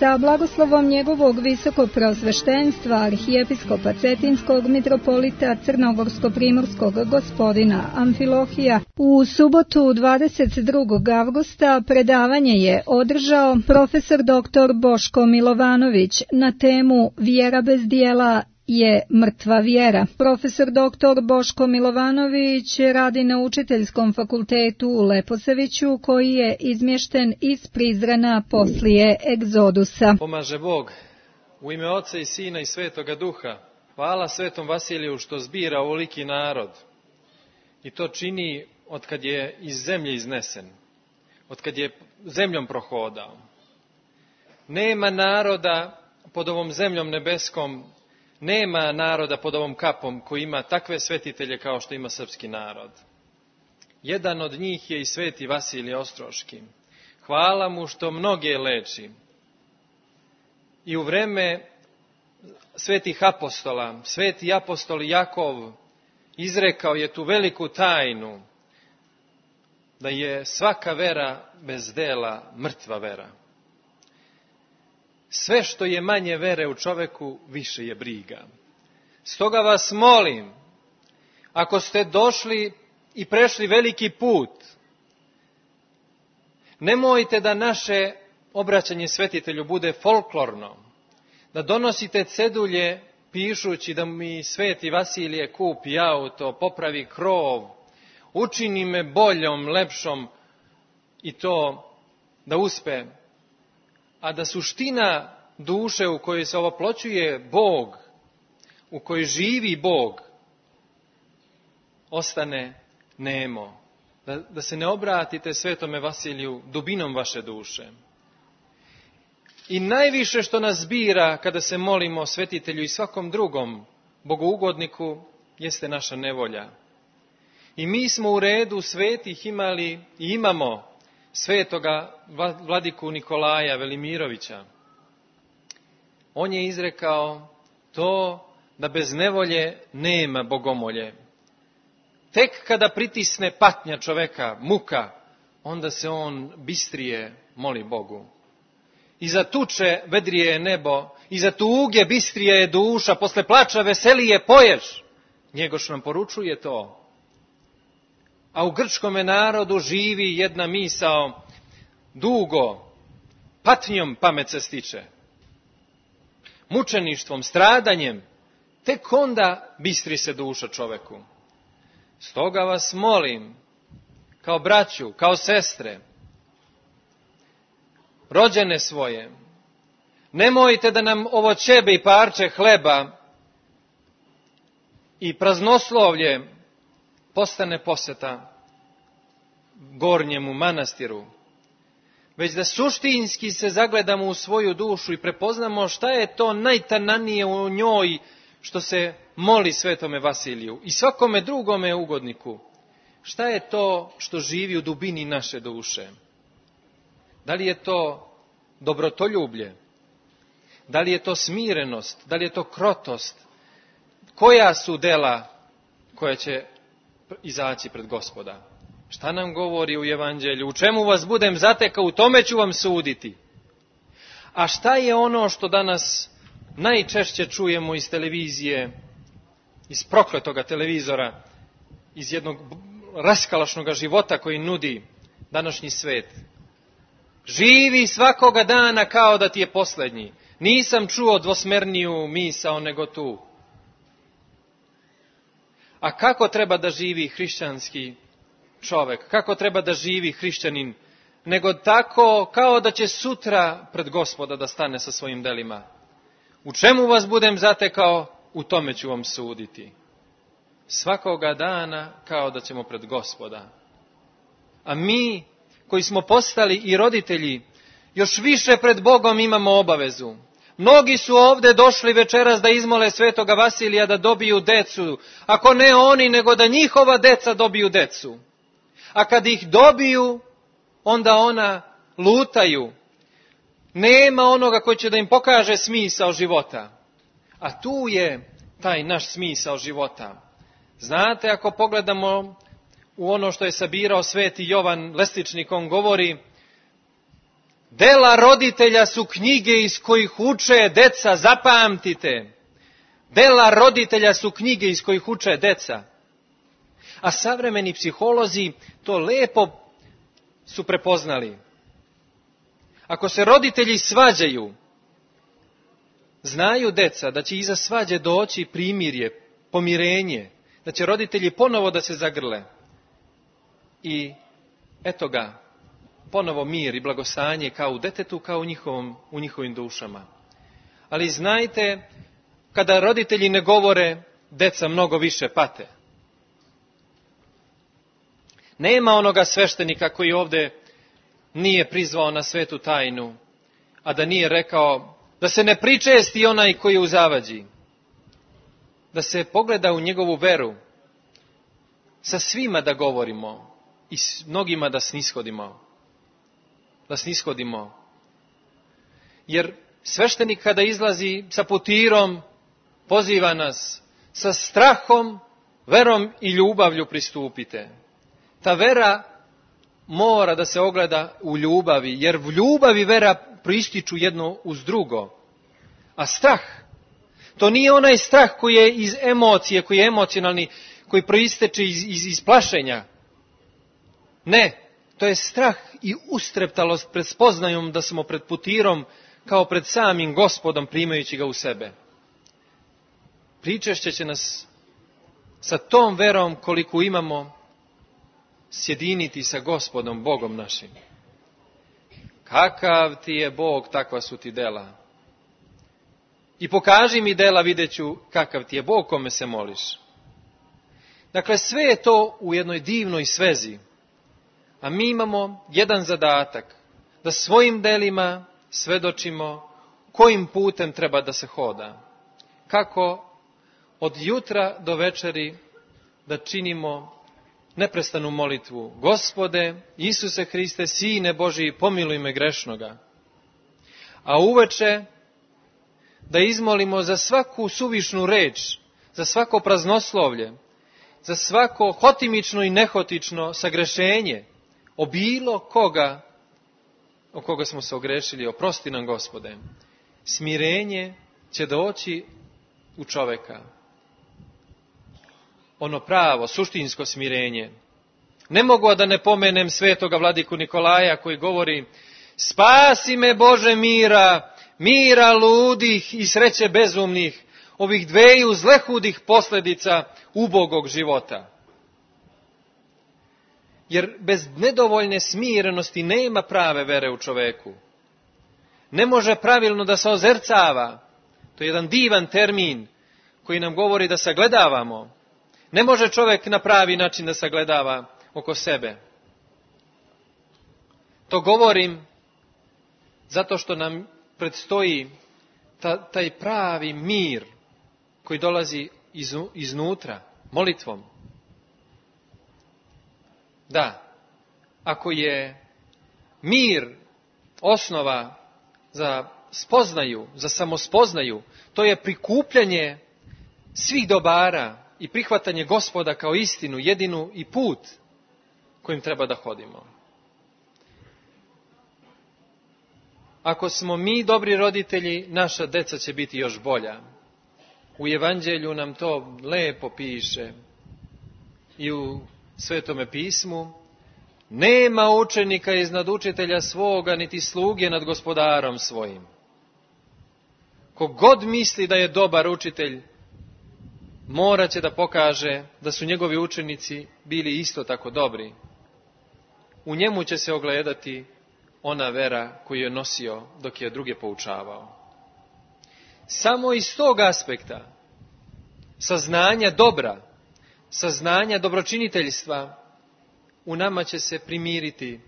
Hrista, blagoslovom njegovog visokopreosveštenstva, arhijepiskopa Cetinskog, mitropolita Crnogorsko-primorskog gospodina Amfilohija, u subotu 22. avgusta predavanje je održao profesor dr. Boško Milovanović na temu Vjera bez dijela je mrtva vjera. Profesor dr. Boško Milovanović radi na Učiteljskom fakultetu u Leposaviću, koji je izmješten iz Prizrena poslije egzodusa. Pomaže Bog, u ime Oca i Sina i Svetoga Duha. Hvala Svetom Vasiliju što zbira ovoliki narod. I to čini otkad je iz zemlje iznesen, otkad je zemljom prohodao. Nema naroda pod ovom zemljom nebeskom, nema naroda pod ovom kapom koji ima takve svetitelje kao što ima srpski narod. Jedan od njih je i sveti Vasilije Ostroški. Hvala mu što mnoge leči. I u vreme svetih apostola, sveti apostol Jakov izrekao je tu veliku tajnu da je svaka vera bez dela mrtva vera. Sve što je manje vere u čoveku, više je briga. Stoga vas molim, ako ste došli i prešli veliki put, nemojte da naše obraćanje svetitelju bude folklorno, da donosite cedulje pišući da mi sveti Vasilije kupi auto, popravi krov, učini me boljom, lepšom i to da uspe. A da suština duše u kojoj se ovoploćuje Bog, u kojoj živi Bog, ostane nemo. Da se ne obratite svetome Vasiliju dubinom vaše duše. I najviše što nas bira kada se molimo svetitelju i svakom drugom bogougodniku jeste naša nevolja. I mi smo u redu svetih imali i imamo svetoga vladiku Nikolaja Velimirovića. On je izrekao to da bez nevolje nema bogomolje. Tek kada pritisne patnja čoveka, muka, onda se on bistrije moli Bogu. Iza tuče vedrije je nebo, iza tuge bistrija je duša, posle plača veselije poješ. Njegoš nam poručuje to. A u grčkome narodu živi jedna misao, dugo, patnjom pamet se stiče. Mučeništvom, stradanjem, tek onda bistri se duša čoveku. Stoga vas molim, kao braću, kao sestre, rođene svoje, nemojte da nam ovo ćebe i parče hleba i praznoslovlje postane poseta gornjemu manastiru, već da suštinski se zagledamo u svoju dušu i prepoznamo šta je to najtananije u njoj što se moli svetome Vasiliju i svakome drugome ugodniku. Šta je to što živi u dubini naše duše? Da li je to dobrotoljublje? Da li je to smirenost? Da li je to krotost? Koja su dela koja će izaći pred Gospoda? Šta nam govori u Evanđelju? U čemu vas budem zatekao, u tome ću vam suditi. A šta je ono što danas najčešće čujemo iz televizije, iz prokletoga televizora, iz jednog raskalašnog života koji nudi današnji svet? Živi svakoga dana kao da ti je posljednji. Nisam čuo dvosmerniju misao nego tu. A kako treba da živi hrišćanski čovjek? Kako treba da živi hrišćanin? Nego tako kao da će sutra pred Gospoda da stane sa svojim delima. U čemu vas budem zatekao, u tome ću vam suditi. Svakoga dana kao da ćemo pred Gospoda. A mi koji smo postali i roditelji, još više pred Bogom imamo obavezu. Mnogi su ovdje došli večeras da izmole svetoga Vasilija da dobiju decu. Ako ne oni, nego da njihova deca dobiju decu. A kad ih dobiju, onda ona lutaju. Nema onoga koji će da im pokaže smisao života. A tu je taj naš smisao života. Znate, ako pogledamo u ono što je sabirao sveti Jovan Lestičnik, on govori Dela roditelja su knjige iz kojih uče deca, zapamtite. Dela roditelja su knjige iz kojih uče deca. A savremeni psiholozi to lepo su prepoznali. Ako se roditelji svađaju, znaju deca da će iza svađe doći primirje, pomirenje, da će roditelji ponovo da se zagrle. I eto ga, ponovo mir i blagostanje kao u detetu, kao u njihovim dušama. Ali znajte, kada roditelji ne govore, deca mnogo više pate. Nema onoga sveštenika koji ovdje nije prizvao na svetu tajnu, a da nije rekao da se ne pričesti onaj koji je u zavađi. Da se pogleda u njegovu veru. Sa svima da govorimo i s mnogima da snishodimo. Da snishodimo. Jer sveštenik kada izlazi sa putirom, poziva nas sa strahom, verom i ljubavlju pristupite. Ta vera mora da se ogleda u ljubavi, jer v ljubavi vera proističu jedno uz drugo. A strah, to nije onaj strah koji je iz emocije, koji je emocionalni, koji proisteče iz plašenja. Ne, to je strah i ustreptalost pred spoznajom da smo pred putirom kao pred samim Gospodom primajući ga u sebe. Pričešće će nas sa tom verom koliko imamo sjediniti sa Gospodom, Bogom našim. Kakav ti je Bog, takva su ti dela. I pokaži mi dela, vidjet ću kakav ti je Bog kome se moliš. Dakle, sve je to u jednoj divnoj svezi. A mi imamo jedan zadatak, da svojim delima svedočimo kojim putem treba da se hoda. Kako od jutra do večeri da činimo neprestanu molitvu. Gospode, Isuse Hriste, Sine Božiji, pomiluj me grešnoga. A uveče da izmolimo za svaku suvišnu reč, za svako praznoslovlje, za svako hotimično i nehotično sagrešenje o bilo koga o koga smo se ogrešili. Oprosti nam, Gospode. Smirenje će doći u čoveka. Ono pravo, suštinsko smirenje. Ne mogu a da ne pomenem svetoga vladiku Nikolaja koji govori: spasi me Bože mira, mira ludih i sreće bezumnih, ovih dveju zlehudih posljedica ubogog života. Jer bez nedovoljne smirenosti nema prave vere u čoveku. Ne može pravilno da se ozercava. To je jedan divan termin koji nam govori da sagledavamo. Ne može čovjek na pravi način da sagledava oko sebe. To govorim zato što nam predstoji taj pravi mir koji dolazi iznutra, molitvom. Da, ako je mir osnova za spoznaju, za samospoznaju, to je prikupljanje svih dobara i prihvatanje Gospoda kao istinu, jedinu i put kojim treba da hodimo. Ako smo mi dobri roditelji, naša deca će biti još bolja. U Evanđelju nam to lepo piše i u Svetome pismu: nema učenika iznad učitelja svoga, niti sluge nad gospodarom svojim. Kogod misli da je dobar učitelj, morat će da pokaže da su njegovi učenici bili isto tako dobri. U njemu će se ogledati ona vera koju je nosio dok je druge poučavao. Samo iz tog aspekta saznanja dobra, saznanja dobročiniteljstva, u nama će se primiriti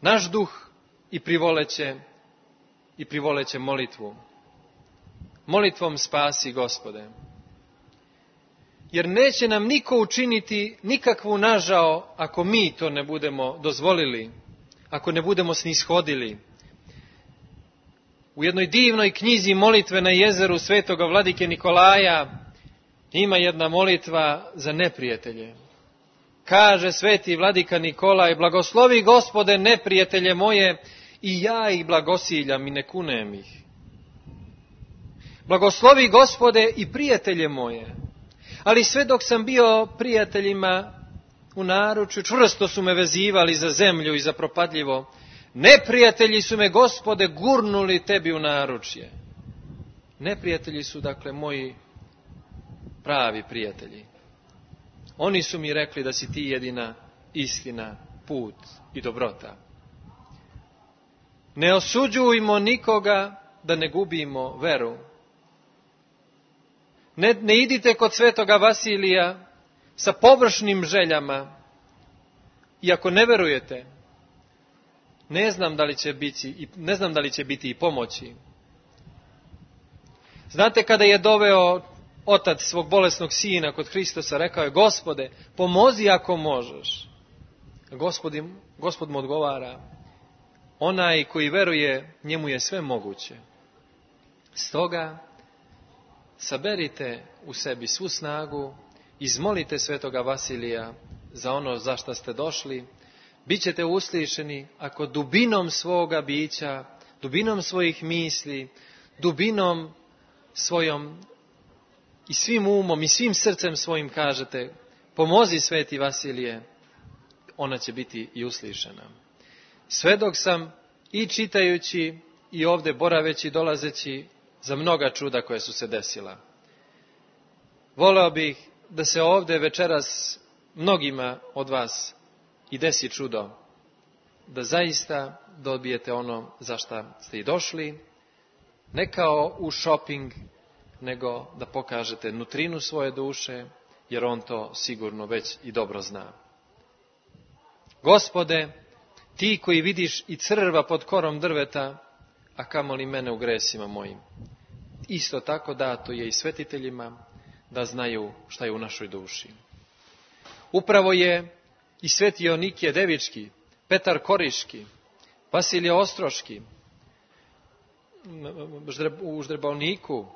naš duh i privoleće molitvu. Molitvom spasi, Gospode. Jer neće nam niko učiniti nikakvu nažao ako mi to ne budemo dozvolili, ako ne budemo snishodili. U jednoj divnoj knjizi Molitve na jezeru svetoga vladike Nikolaja ima jedna molitva za neprijatelje. Kaže sveti vladika Nikolaj: blagoslovi, Gospode, neprijatelje moje i ja ih blagosiljam i ne kunem ih. Blagoslovi, Gospode, i prijatelje moje. Ali sve dok sam bio prijateljima u naručju, čvrsto su me vezivali za zemlju i za propadljivo. Neprijatelji su me, Gospode, gurnuli tebi u naručje. Neprijatelji su, dakle, moji pravi prijatelji. Oni su mi rekli da si ti jedina istina, put i dobrota. Ne osuđujmo nikoga da ne gubimo veru. Ne idite kod svetoga Vasilija sa površnim željama i ako ne verujete, ne znam da li će biti i pomoći. Znate, kada je doveo otac svog bolesnog sina kod Hristosa, rekao je: Gospode, pomozi ako možeš. Gospod mu odgovara: onaj koji veruje, njemu je sve moguće. Stoga saberite u sebi svu snagu, izmolite svetoga Vasilija za ono za što ste došli. Bićete uslišeni ako dubinom svoga bića, dubinom svojih misli, dubinom svojom i svim umom i svim srcem svojim kažete: pomozi, sveti Vasilije, ona će biti i uslišena. Sve dok sam i čitajući i ovdje boraveći, dolazeći, za mnoga čuda koje su se desila. Voleo bih da se ovdje večeras mnogima od vas i desi čudo, da zaista dobijete ono za što ste i došli, ne kao u šoping, nego da pokažete nutrinu svoje duše, jer on to sigurno već i dobro zna. Gospode, ti koji vidiš i crva pod korom drveta, a kamoli mene u gresima mojim. Isto tako dato je i svetiteljima da znaju šta je u našoj duši. Upravo je i sveti Jonikije Devički, Petar Koriški, Vasilije Ostroški, u Ždrebovniku,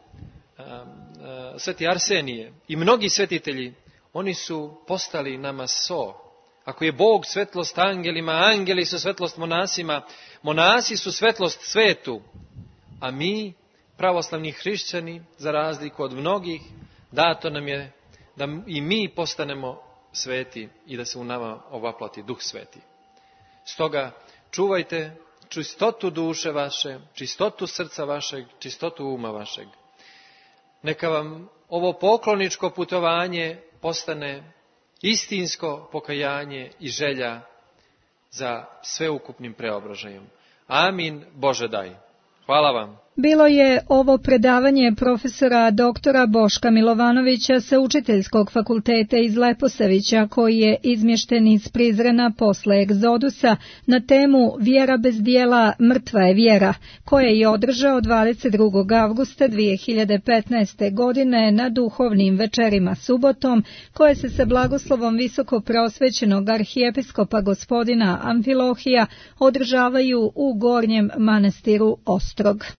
sveti Arsenije i mnogi svetitelji, oni su postali nama so. Ako je Bog svetlost angelima, angeli su svetlost monasima, monasi su svetlost svetu, a mi, pravoslavni hrišćani, za razliku od mnogih, dato nam je da i mi postanemo sveti i da se u nama ovaplati Duh Sveti. Stoga čuvajte čistotu duše vaše, čistotu srca vašeg, čistotu uma vašeg. Neka vam ovo pokloničko putovanje postane istinsko pokajanje i želja za sveukupnim preobražajem. Amin, Bože daj. Hvala vam. Bilo je ovo predavanje profesora doktora Boška Milovanovića sa Učiteljskog fakulteta iz Leposavića, koji je izmješten iz Prizrena posle egzodusa na temu Vjera bez dijela, mrtva je vjera, koje je održao 22. avgusta 2015. godine na duhovnim večerima subotom, koje se sa blagoslovom visoko prosvećenog arhijepiskopa gospodina Amfilohija održavaju u Gornjem manastiru Ostrog.